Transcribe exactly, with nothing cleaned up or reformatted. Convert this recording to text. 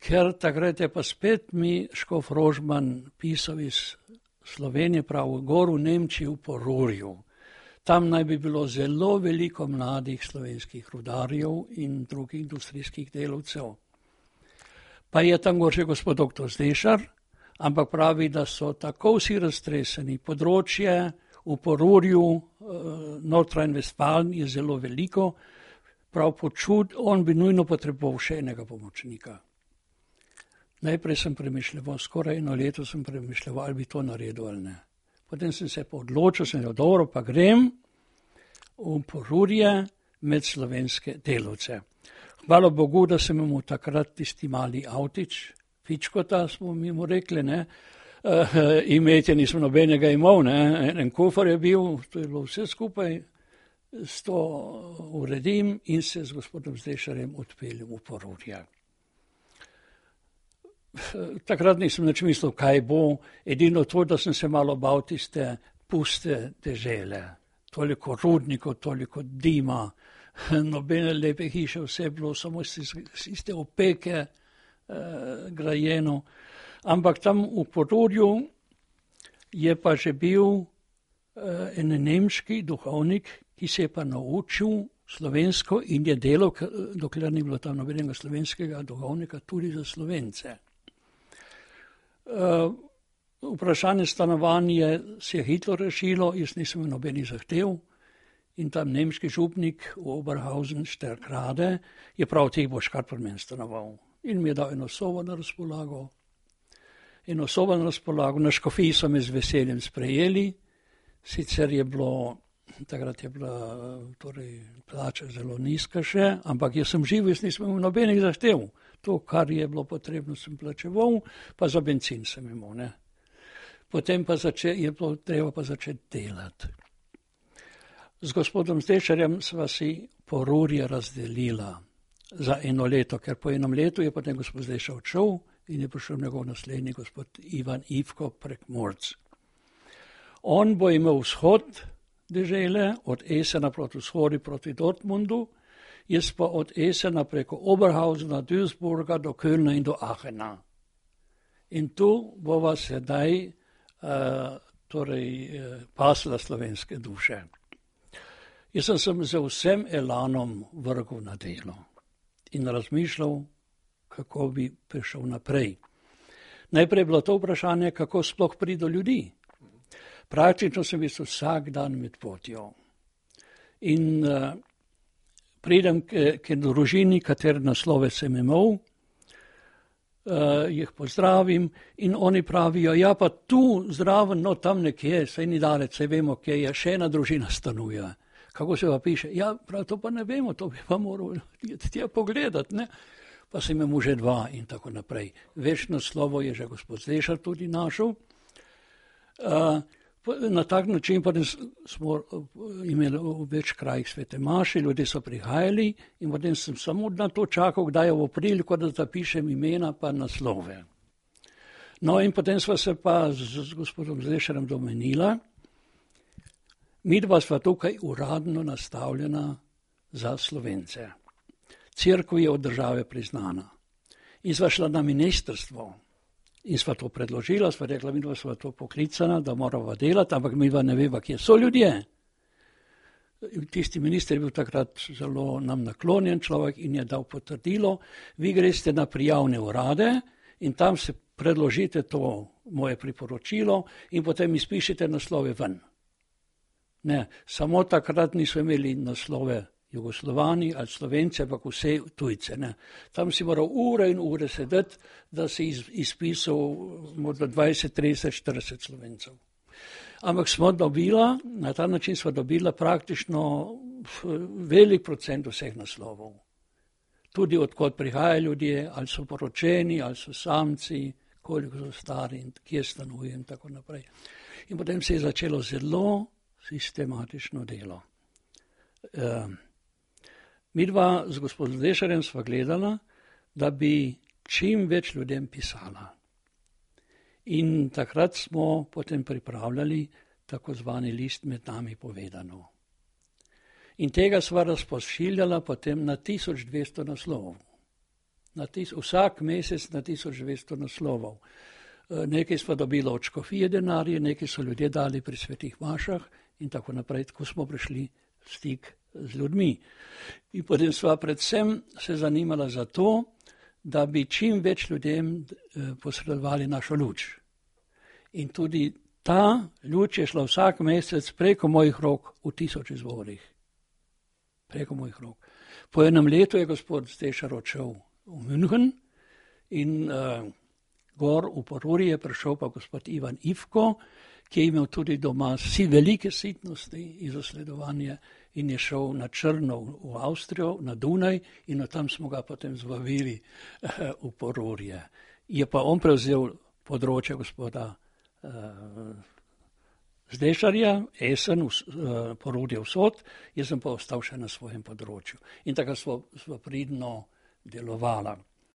ker takrat je pa spet mi škof Rožman pisal iz Slovenije, prav gor v Nemčiji v Porurju. Tam naj bi bilo zelo veliko mladih slovenskih rudarjev in drugih industrijskih delavcev. Pa je tam gor še gospod doktor Zdešar, ampak pravi, da so tako vsi raztreseni. Področje v Porurju, Nordrhein-Westfalen je zelo veliko, prav počut, on bi nujno potreboval še enega pomočnika. Najprej sem premišljal, skoraj eno leto sem premišljal, ali bi to naredil ali ne. Potem sem se pa odločil, sem rekel, dobro, pa grem v Porurje med slovenske delavce. Hvala Bogu, da sem imel takrat tisti mali avtič, fičkota smo mi mu rekli, ne, uh, imetje nismo nobenega imel, ne, en kufer je bil, to je bilo vse skupaj, s to uredim in se z gospodom Zdešarjem odpeljem v Porurje. Takrat nisem nič mislil, kaj bo, edino to, da sem se malo bal tiste puste dežele. Toliko rudnikov, toliko dima, nobene lepe hiše, vse bilo, samo iste opeke eh, grajeno. Ampak tam v Porurju je pa že bil eh, en nemški duhovnik, ki se je pa naučil slovensko in je delal, dokler ni bilo tam nobenega slovenskega duhovnika, tudi za Slovence. Uh, vprašanje stanovanja se je hitro rešilo, jaz nisem imel nobenih zahtev in tam nemški župnik v Oberhausen Šterkrade je prav teh boš kar pri meni stanoval. In mi je dal eno sobo na razpolago. Eno sobo na razpolago, na škofiji so me z veseljem sprejeli, sicer je bilo, takrat je bila torej, plača zelo nizka še, ampak jaz sem živ, jaz nisem imel nobenih zahtev. To, kar je bilo potrebno, sem plačeval, pa za benzin sem imel. Ne. Potem pa zače, je bilo treba pa začeti delati. Z gospodom Zdešarjem sva si Porurje razdelila za eno leto, ker po enom letu je potem gospod Zdešar odšel in je prišel njegov naslednji gospod Ivan Ivko Prekmurc. On bo imel vzhod dežele, od Essena proti vzhodu proti Dortmundu, jaz pa od Essena preko Oberhausena, Duisburga do Kölna in do Aachena. In tu bova sedaj uh, torej, uh, pasla slovenske duše. Jaz sem se z vsem elanom vrgel na delo in razmišljal, kako bi prišel naprej. Najprej je bilo to vprašanje, kako sploh priti do ljudi. Praktično sem bil vsak dan med potjo. In uh, pridem k, k družini, katere naslove sem imel, uh, jih pozdravim in oni pravijo, ja pa tu zraven, no tam nekje, saj ni dalec, saj vemo, kje je, še ena družina stanuje. Kako se pa piše? Ja, prav to pa ne vemo, to bi pa moral tja pogledati, ne? Pa sem imel že dva in tako naprej. Večno slovo je že gospod Zdešar tudi našel. Uh, Na tak način potem smo imeli v več krajih svete maše, ljudje so prihajali in potem sem samo na to čakal, kdaj je v priliko, da zapišem imena pa naslove. No in potem sva se pa z, z gospodom Zdešarjem domenila, mi dva sva tukaj uradno nastavljena za Slovence. Cerkev je od države priznana. In sva šla na ministrstvo. In sva to predložila, sva rekla, mi dva sva to poklicana, da morava delati, ampak mi dva ne veva, kje so ljudje. Tisti minister je bil takrat zelo nam naklonjen človek in je dal potrdilo, vi greste na prijavne urade in tam se predložite to moje priporočilo in potem izpišete naslove ven. Ne, samo takrat niso imeli naslove Jugoslovani ali Slovenci, ampak vse tujce. Ne. Tam si moral ure in ure sedeti, da si iz, izpisal morda dvajset, trideset, štirideset Slovencev. Ampak smo dobila, na ta način smo dobila praktično velik procent vseh naslovov. Tudi odkot prihajajo ljudje, ali so poročeni, ali so samci, koliko so stari in kje stanujejo in tako naprej. In potem se je začelo zelo sistematično delo. Uh, Mi dva z gospodom Zdešarjem sva gledala, da bi čim več ljudem pisala. In takrat smo potem pripravljali tako zvani list Med nami povedano. In tega sva razpošiljala potem na tisoč dvesto naslovov. na tis, vsak mesec na tisoč dvesto naslovov. Nekaj smo dobili od škofije denarje, nekaj so ljudje dali pri svetih mašah in tako naprej, tako smo prišli v stik z ljudmi. In potem sva predvsem se zanimala za to, da bi čim več ljudem posredovali našo luč. In tudi ta luč je šla vsak mesec preko mojih rok v tisoč izvorih. Preko mojih rok. Po enem letu je gospod Stešar odšel v München in uh, gor v Porurje je prišel pa gospod Ivan Ivko, ki je imel tudi doma si velike sitnosti in zasledovanje in je šel na Črno v Avstrijo, na Dunaj in od tam smo ga potem zvabili uh, v Porurje. Je pa on prevzel področje gospoda uh, Zdešarja, Esen, uh, Porurje vsod, jaz sem pa ostal še na svojem področju. In tako smo, smo pridno delovala.